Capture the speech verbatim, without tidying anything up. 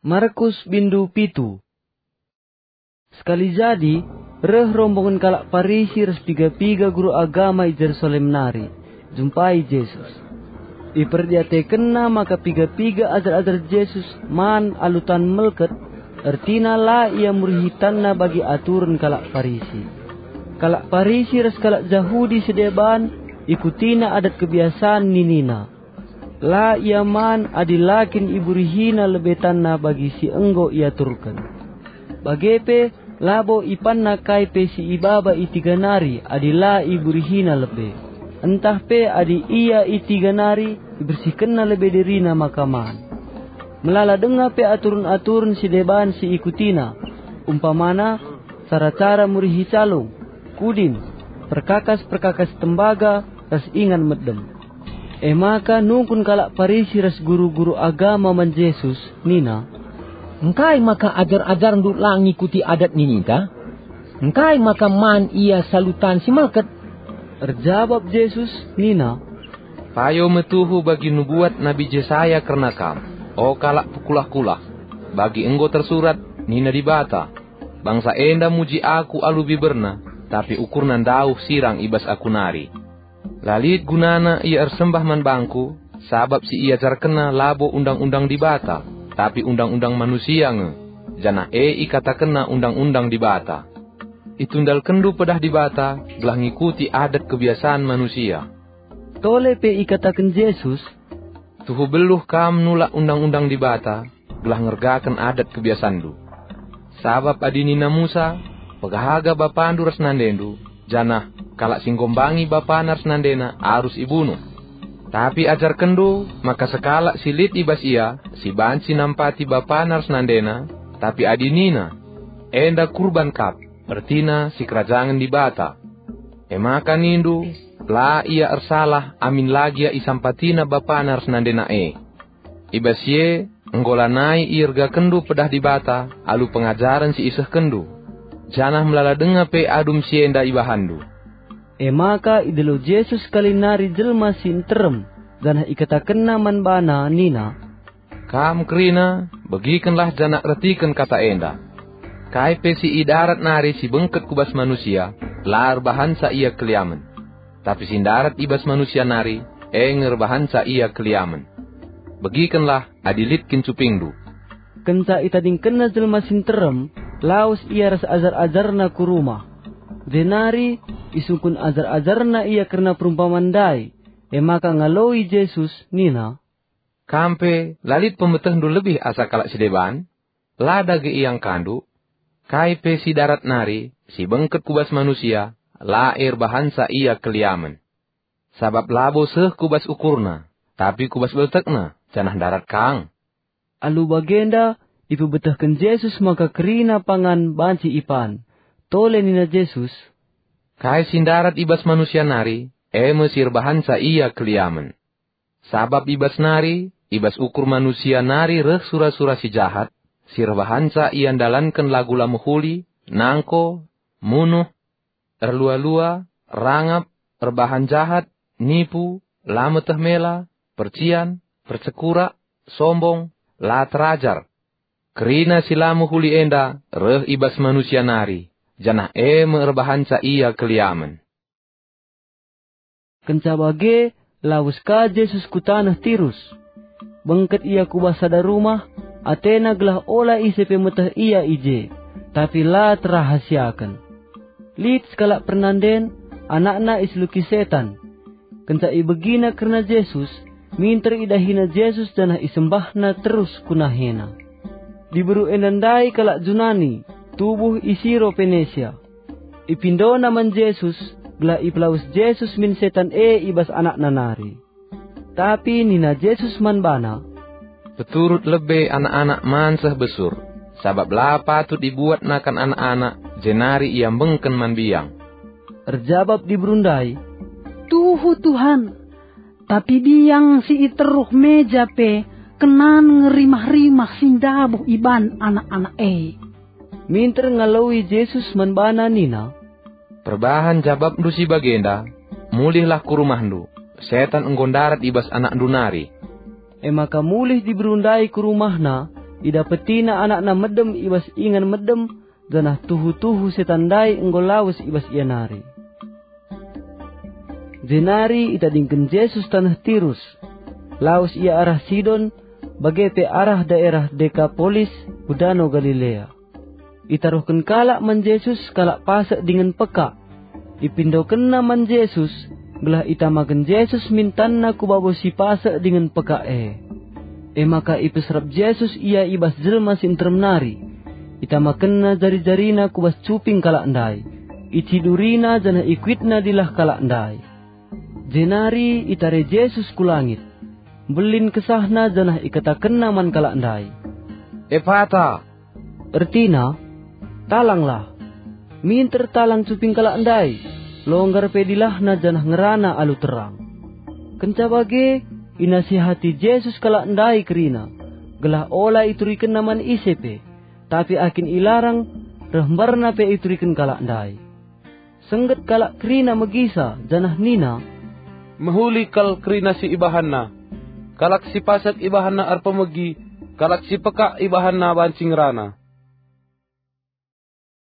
Markus bindu pitu. Sekali jadi, reh rombongen kalak Parisi ras piga-piga guru agama i Jerusalem nari, jumpai Jesus. Iperdiatekenna maka piga-piga ajar-ajar Jesus man alu tan melket, ertina la ia murihi tanna bagi aturen kalak Parisi. Kalak Parisi ras kalak Jahudi si deban ikutina adat kebiasan ninina. La ia man adi la kin iburihina lebe tanna bagi si enggo iaturken. Bage pe, labo ipanna kai pe si ibaba i tiga nari adi la iburihina lebe, ntah pe adi ia i tiga nari ibersihkenna lebe dirina maka man. Melala denga pe aturen-aturen si deban si ikutina, umpamana, cara-cara murihi calung, kudin, perkakas-perkakas tembaga, ras ingan medem. E maka nungkun kalak Parisi ras guru-guru agama man Jesus nina, "Engkai maka ajar-ajarNdu la ngikuti adat nininta? Engkai maka man ia salu tan si melket?" Erjabap Jesus nina, "Payo me tuhu bagi nubuat Nabi Jesaya kerna kam, o kalak pekulah-kulah. Bagi enggo tersurat, nina Dibata, 'Bangsa enda muji Aku alu biberna, tapi ukurna ndauh sirang i bas Aku nari.' La lit gunana ia ersembah man bangKu, sabap si iajarkenna labo Undang-undang Dibata, tapi undang-undang manusia nge, janah e ikatakenna Undang-undang Dibata. Itundalkenndu pedah Dibata gelah ngikuti adat kebiasan manusia." Tole pe ikataken Jesus, "Tuhu beluh kam nulak Undang-undang Dibata, gelah ngergaken adat kebiasanndu. Sabap adi nina Musa, 'Pehaga bapandu ras nandendu,' janah, 'Kalak si nggombangi bapana ras nandena arus ibunuh.' Tapi ajarkenndu maka sekalak si lit i bas ia si banci nampati bapana ras nandena, tapi adi nina, 'Enda kurban kap,' ertina sikerajangen Dibata. E maka nindu, 'La ia ersalah amin la gia isampatina bapana ras nandena e.' I bas si e, enggo lanai iergakenndu pedah Dibata alu pengajaren si isehkenndu, janah melala denga pe adum si enda ibahanndu." E maka idilo Jesus kali nari jelma si nterem, janah ikatakenna man bana nina, "Kam kerina, begikenlah janah ertiken kata enda. Kai pe si i darat nari si bengket ku bas manusia, la erbahanca ia keliamen. Tapi si ndarat i bas manusia nari, e nge erbahanca ia keliamen. Begikenlah adi lit kin cupingndu." Kenca itadingkenna jelma si nterem, lawes ia ras ajar-ajarna ku rumah. Jenari isungkun ajar-ajarna ia kerna perumpaman ndai. E maka ngaloi Jesus nina, "Kam pe la lit pemetehndu lebih asa kalak si deban? La dage iangkandu? Kai pe si darat nari, si bengket ku bas manusia, la erbahanca ia keliamen. Sabap labo seh ku bas ukurna, tapi ku bas beltekna, janah ndarat kang." Alu bagenda, ipebetehken Jesus maka kerina pangan banci ipan. Tole nina Jesus, "Kai si ndarat i bas manusia nari, e me si erbahanca ia keliamen. Sabap i bas nari, i bas ukur manusia nari reh sura-sura si jahat, si erbahanca ia ndalanken lagu la mehuli, nangko, munuh, erlua-lua, rangap, erbahan jahat, nipu, la meteh mela, percian, percekurak, sombong, la terajar. Kerina si la mehuli enda reh i bas manusia nari, janah e me erbahanca ia keliamen." Kenca bage, lawes ka Jesus ku taneh Tirus. Bengket ia ku bas sada rumah, atena gelah ola ise pe meteh ia i je, tapi la terahasiaken. Lit sekalak pernanden, anakna iseluki setan. Kenca ibegina kerna Jesus, minter idahina Jesus janah isembahna terus ku nahena. Diberu enda ndai kalak Junani, tubuh i Siro Penesia. Ipindona man Jesus, gelah ipelawes Jesus min setan e i bas anakna nari. Tapi nina Jesus man bana, "Peturut lebe anak-anak man seh besur, sabap la patut ibuat nakan anak-anak, jenari iambengken man biang." Erjabap diberu ndai, "Tuhu, Tuhan, tapi biang si i teruh meja pe kenan nge rimah-rimah si ndabuh iban anak-anak e." Minter ngaloi Jesus man bana nina, "Perbahan jabapndu si bagenda, mulihlah ku rumahndu, setan enggo ndarat i bas anakndu nari." E maka mulih diberu ndai ku rumahna, Idapetina anakna medem i bas ingan medem, janah tuhu-tuhu setan ndai enggo lawes i bas ia nari. Jenari itadingken Jesus taneh Tirus. Lawes ia arah Sidon, bage pe arah daerah Dekapolis ku Dano Galilea. Itaruhken kalak man Jesus kalak pasek dingen pekak. Ipindokenna man Jesus, gelah itamaken Jesus min tanna ku babo si pasek dingen pekak e. E maka ipeserap Jesus ia i bas jelma si nterem nari. Itamakenna jari-jarina ku bas cuping kalak ndai. Icidurina janah ikuitna dilah kalak ndai. Jenari itare Jesus ku langit. Mbelin kesahna janah ikatakenna man kalak ndai, "Epata!" Ertina, "Talanglah!" Minter talang cuping kalak ndai, longgar pe dilahna janah ngerana alu terang. Kenca bage, inasihati Jesus kalak ndai kerina, gelah ola iturikenna man ise pe, tapi akin ilarang, reh mbarna pe ituriken kalak ndai. Sengget kalak kerina megisa janah nina, "Mehuli kal kerina si ibahanna. Kalak si pasek ibahanna erpemegi, kalak si pekak ibahanna banci ngerana."